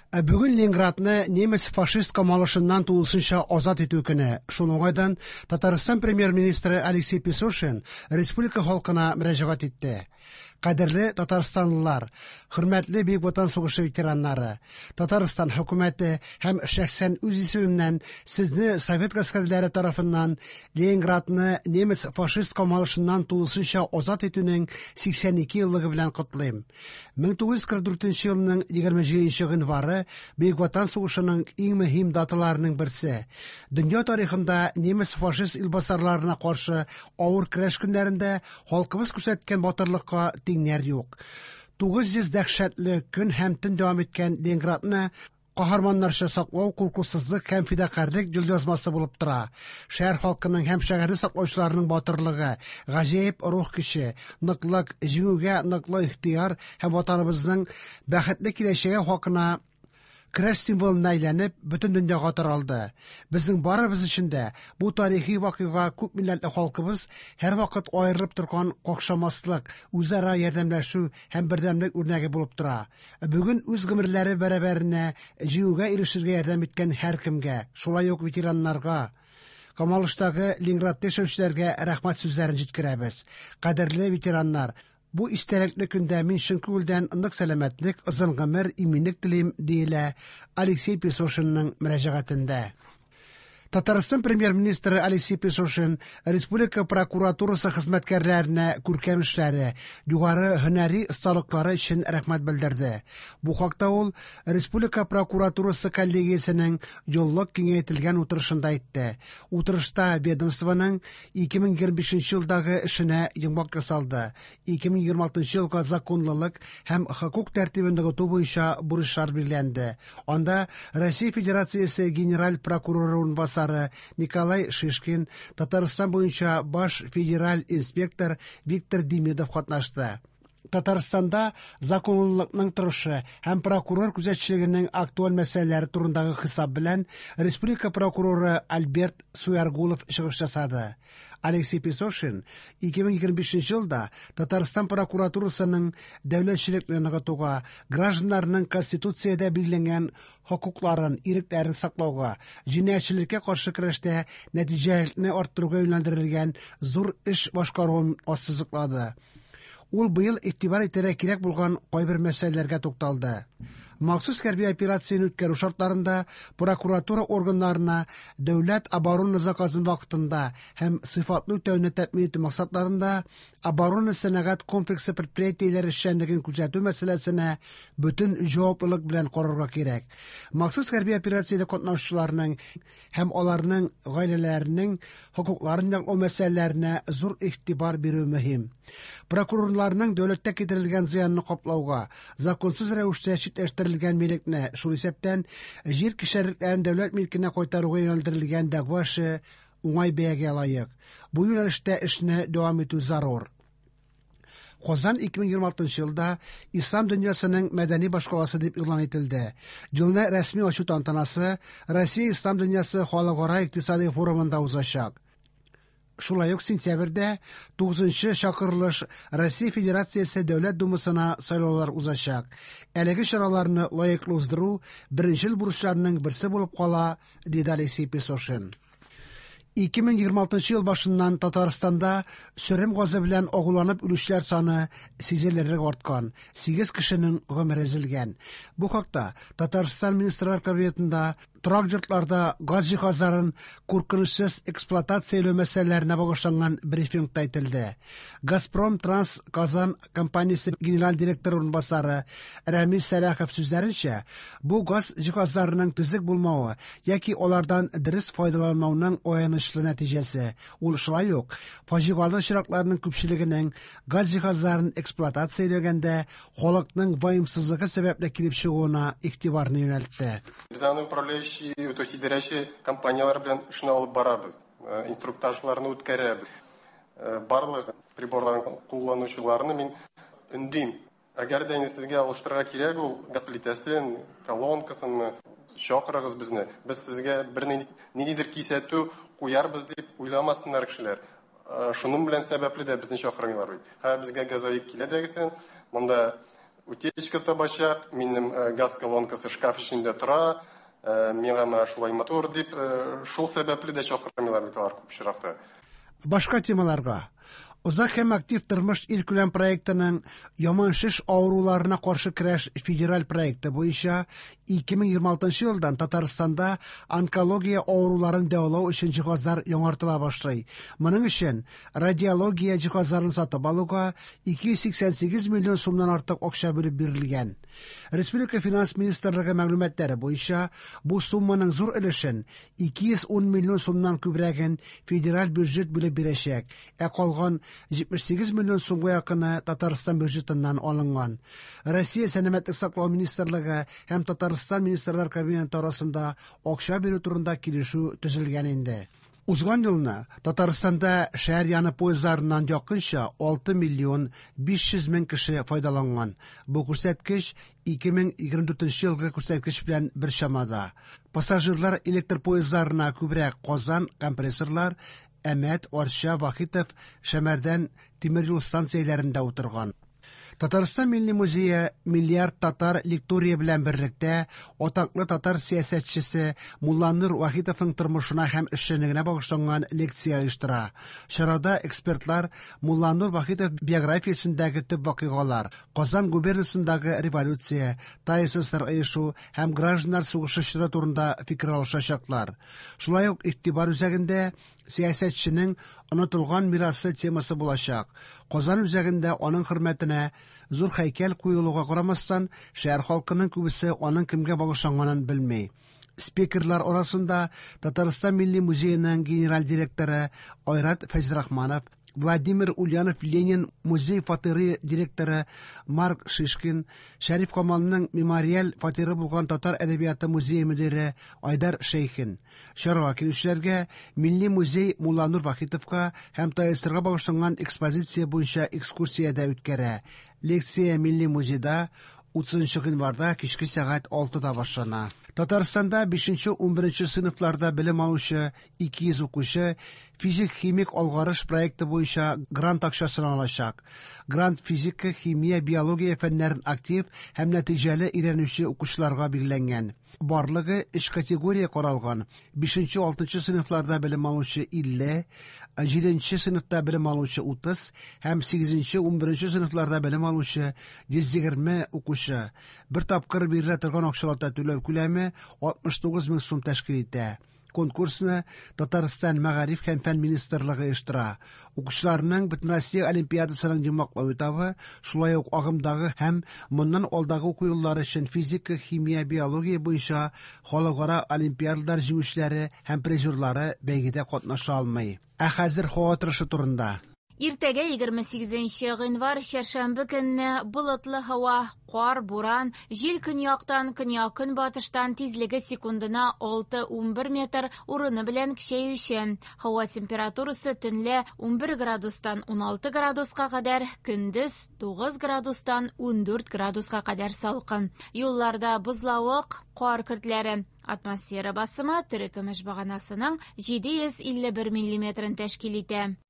Ә бүген Ленинградны немец-фашист камалышыннан тулысынча азат итү көне. Шул уңайдан Татарстан премьер-министры Алексей Песошин республика халкына мөрәҗәгать итте. Кадерле татарстанлылар, хөрмәтле Бөек Ватан сугышы ветераннары, Татарстан хөкүмәте һәм шәхсән үз исемемнән сезне совет гаскәрләре тарафыннан Ленинградны немец-фашист камалышыннан тулысынча азат итүнең 82 еллыгы белән котлыйм. 1944 елның 27 гыйнвары Бөек Ватан сугышының иң мөһим даталарының берсе. Дөнья тарихында немец-фашист илбасарларына каршы авыр көрәш көннәрендә халкыбыз күрсәткән батырлыкка тиңнәр юк. 900 дәһшәтле көн һәм төн дәвам иткән Ленинградны каһарманнарча саклау куркусызлык һәм фидакарьлек елъязмасы булып тора. Шәһәр халкының һәм шәһәрне саклаучыларның батырлыгы, гаҗәеп рух көче, ныклык, җиңүгә ныклы ихтыяр һәм ватаныбызның бәхетле киләчәге хакына көрәш символына әйләнеп, бөтен дөньяга таралды. Безнең барыбыз өчен дә бу тарихи вакыйга күп милләтле халкыбыз һәрвакыт аерылып торган какшамаслык, үзара ярдәмләшү һәм бердәмлек үрнәге булып тора. Бүген үз гомерләре бәрабәренә җиңүгә ирешергә ярдәм иткән һәркемгә, шулай ук ветераннарга, камалыштагы Ленинградта яшәүчеләргә рәхмәт сүзләрен җиткерәбез. Кадерле ветераннар, бу истәлекле көндә мин чын күңелдән нык сәламәтлек, озын гомер, иминлек телим, диелә Алексей Песошинның мөрәҗәгатендә. Татарстан премьер-министры Алексей Песошин республика прокуратурасы хезмәткәрләренә күркәм эшләре, югары һөнәри осталыклары өчен рәхмәт белдерде. Бу хакта ул республика прокуратурасы коллегиясенең еллык киңәйтелгән утырышында әйтте. Утырышта ведомствоның 2025 елдагы эшенә йомгак ясалды. 2026 елга законлылык һәм хокук тәртибен ныгыту буенча бурычлар билгеләнде. Анда Россия Федерациясе генераль прокуроры урынбасары Николай Шишкин, Татарстан буенча баш федераль инспектор Виктор Демидов катнашты. Татарстанда законлылыкның торышы һәм прокурор күзәтчелегенең актуаль мәсьәләләре турындагы хисап белән республика прокуроры Альберт Суяргулов чыгыш ясады. Алексей Песошин 2025 елда Татарстан прокуратурасының дәүләтчелекне ныгытуга, гражданнарның Конституциядә билгеләнгән хокукларын, ирекләрен саклауга, җинаятьчелеккә каршы көрәштә нәтиҗәлелекне арттыруга юнәлдерелгән зур эш башкаруын ассызыклады. Ул быел игътибар итәргә кирәк булган кайбер мәсьәләләргә тукталды. Махсус хәрби операцияне үткәрү шартларында прокуратура органнарына дәүләт оборона заказын вакытында һәм сыйфатлы үтәүне тәэмин итү максатларында оборона сәнәгать комплексы предприятиеләре эшчәнлеген күзәтү мәсьәләсенә бөтен җаваплылык белән карарга кирәк. Махсус хәрби операциядә катнашучыларның һәм аларның гаиләләренең хокукларын яклау мәсьәләләренә зур игътибар бирү мөһим. Прокурорларның дәүләткә китерелгән зыянны каплауга, законсыз рәвештә читләштерелгән милекне, шул исәптән җир кишәрлекләрен дәүләт милкенә кайтаруга юнәлдерелгән дәгъва эше уңай бәягә лаек. Бу юнәлештә эшне дәвам итү зарур. Казан 2026 елда Ислам дөньясының мәдәни башкаласы дип игълан ителде. Елны рәсми ачу тантанасы Россия Ислам дөньясы халыкара икътисади форумында узачак. Шулай ук сентябрьдә 9нчы чакырылыш Россия Федерациясе Дәүләт Думасына сайлаулар узачак. Әлеге чараларны лаеклы уздыру беренчел бурычларның берсе булып кала, диде Алексей Песошин. 2026 ел башыннан Татарстанда сөрем газы белән агуланып үлүчеләр саны сизелерлек арткан, 8 кешенең гомере өзелгән. Бу хакта Татарстан Министрлар Кабинетында торак йортларда газ җиһазларын куркынычсыз эксплуатацияләү мәсьәләләренә багышланган брифингта әйтелде. Газпром Транс Казан компаниясе генераль директоры урынбасары Рәмис Сәлахов сүзләренчә, бу газ җиһазларының төзек булмавы яки алардан дөрес файдаланмауның аянычлы нәтиҗәсе. Ул шулай ук фаҗигале очракларның күпчелегенең газ җиһазларын эксплуатацияләгәндә халыкның ваемсызлыгы сәбәпле килеп чыгуына игътибарны юнәлтте. Без аны управляющий, то есть идарәче компанияләр белән эшне алып барабыз, инструктажларны үткәрәбез. Барлык приборларын кулланучыларны мин өндим. Әгәр дә инде сезгә алыштырырга кирәк ул газ плитәсен, колонкасын, чакырыгыз безне. Без сезгә бер ниндидер кисәтү куярбыз дип уйламасыннар кешеләр. Шуның белән сәбәпле дә безне чакырмыйлар бит. Хәзер безгә газовик килә дә, монда Утечка табачак, минем газ колонкасы шкаф эчендә тора, миңа менә шулай матур дип, шул сәбәпле дә чакырмыйлар бит алар күп очракта. Башка темаларга. Озак һәм актив тормыш илкүләм проектының яман шеш авыруларына каршы көрәш федераль проекты буенча 2026 елдан Татарстанда онкология авыруларын дәвалау өчен җиһазлар яңартыла башлый. Моның өчен радиология җиһазларын сатып алуга 288 миллион сумнан артык акча бүлеп бирелгән. Республика финанс министрлыгы мәгълүматлары буенча, бу сумманың зур өлешен, 210 миллион сумнан күбрәген федераль бюджет бүлеп бирәчәк, ә калган 78 миллион сумга якыны Татарстан бюджетыннан алынган. Россия Сәламәтлек саклау министрлыгы һәм Татарстан Министрлар Кабинеты арасында акча бирү турында килешү төзелгән инде. Узган елны Татарстанда шәһәр яны поездларыннан якынча 6 миллион 500 мең кеше файдаланган. Бу күрсәткеч 2024 елгы күрсәткеч белән бер чамада. Пассажирлар электр поездларына күбрәк Казан компрессорлар, Әмәт, Арча, Вахитов, Шәмәрдән тимер юл станцияләрендә утырган. Татарстан Милли музее Миллиард татар лектория белән берлектә атаклы татар сәясәтчесе Мулланур Вахитовның тормышына һәм эшчәнлегенә багышланган лекция оештыра. Чарада экспертлар Мулланур Вахитов биографиясендәге төп вакыйгалар, Казан губернасындагы революция, ТАССР оешу һәм гражданнар сугышы чоры турында фикер алышачаклар. Шулай ук игътибар үзәгендә сәясәтченең онытылган мирасы темасы булачак. Казан үзәгендә аның хөрмәтенә зур һәйкәл куелуга карамастан, шәһәр халкының күбесе аның кемгә багышланганын белми. Спикерлар арасында Татарстан Милли музееның генераль директоры Айрат Фәйзрахманов, Владимир Ульянов Ленин музей фатиры директоры Марк Шишкин, Шәриф Камалның мемориаль фатиры булган Татар әдәбияты музее мөдире Айдар Шәйхин. Чарага килүчеләргә Милли музей Мулланур Вахитовка һәм ТАССРга багышланган экспозиция буенча экскурсия дә үткәрә. Лекция Милли музейда 30 гыйнварда кичке сәгать 6-да башлана. Татарстанда 5-11 сыйныфларда белем алучы 200 укучы физик-химик алгарыш проекты буенча грант акчасын алачак. Грант физика, химия, биология фәннәрен актив һәм нәтиҗәле өйрәнүче укучыларга билгеләнгән. Барлыгы өч категория каралган. 5-6 сыйныфларда белем алучы 50, 7 сыйныфта белем алучы 30 һәм 8-11 сыйныфларда белем алучы 120 укучы. Бер тапкыр бирелә торган акчалата түләү күләме 69 мең сум тәшкил итә. Конкурсны Татарстан Мәгариф һәм фән министрлыгы оештыра. Укучыларның Бөтенроссия олимпиадасының йомгаклау этабы, шулай ук агымдагы һәм моннан алдагы уку еллары өчен физика, химия, биология буенча халыкара олимпиадалар җиңүчеләре һәм призерлары бәйгедә катнаша алмый. Ә хәзер һава торышы турында. Иртәгә 28 гыйнвар чәршәмбе көнне болытлы һава, кар, буран, җил көньяктан, көньяк-көнбатыштан тизлеге секундына 6-11 метр, урыны белән көчәючән. Һава температурасы төнлә 11 градустан 16 градуска кадәр, көндез 9 градустан 14 градуска кадәр салкын. Юлларда бозлавык, кар көртләре. Атмосфера басымы терекөмеш баганасының 751 миллиметрын тәшкил итә.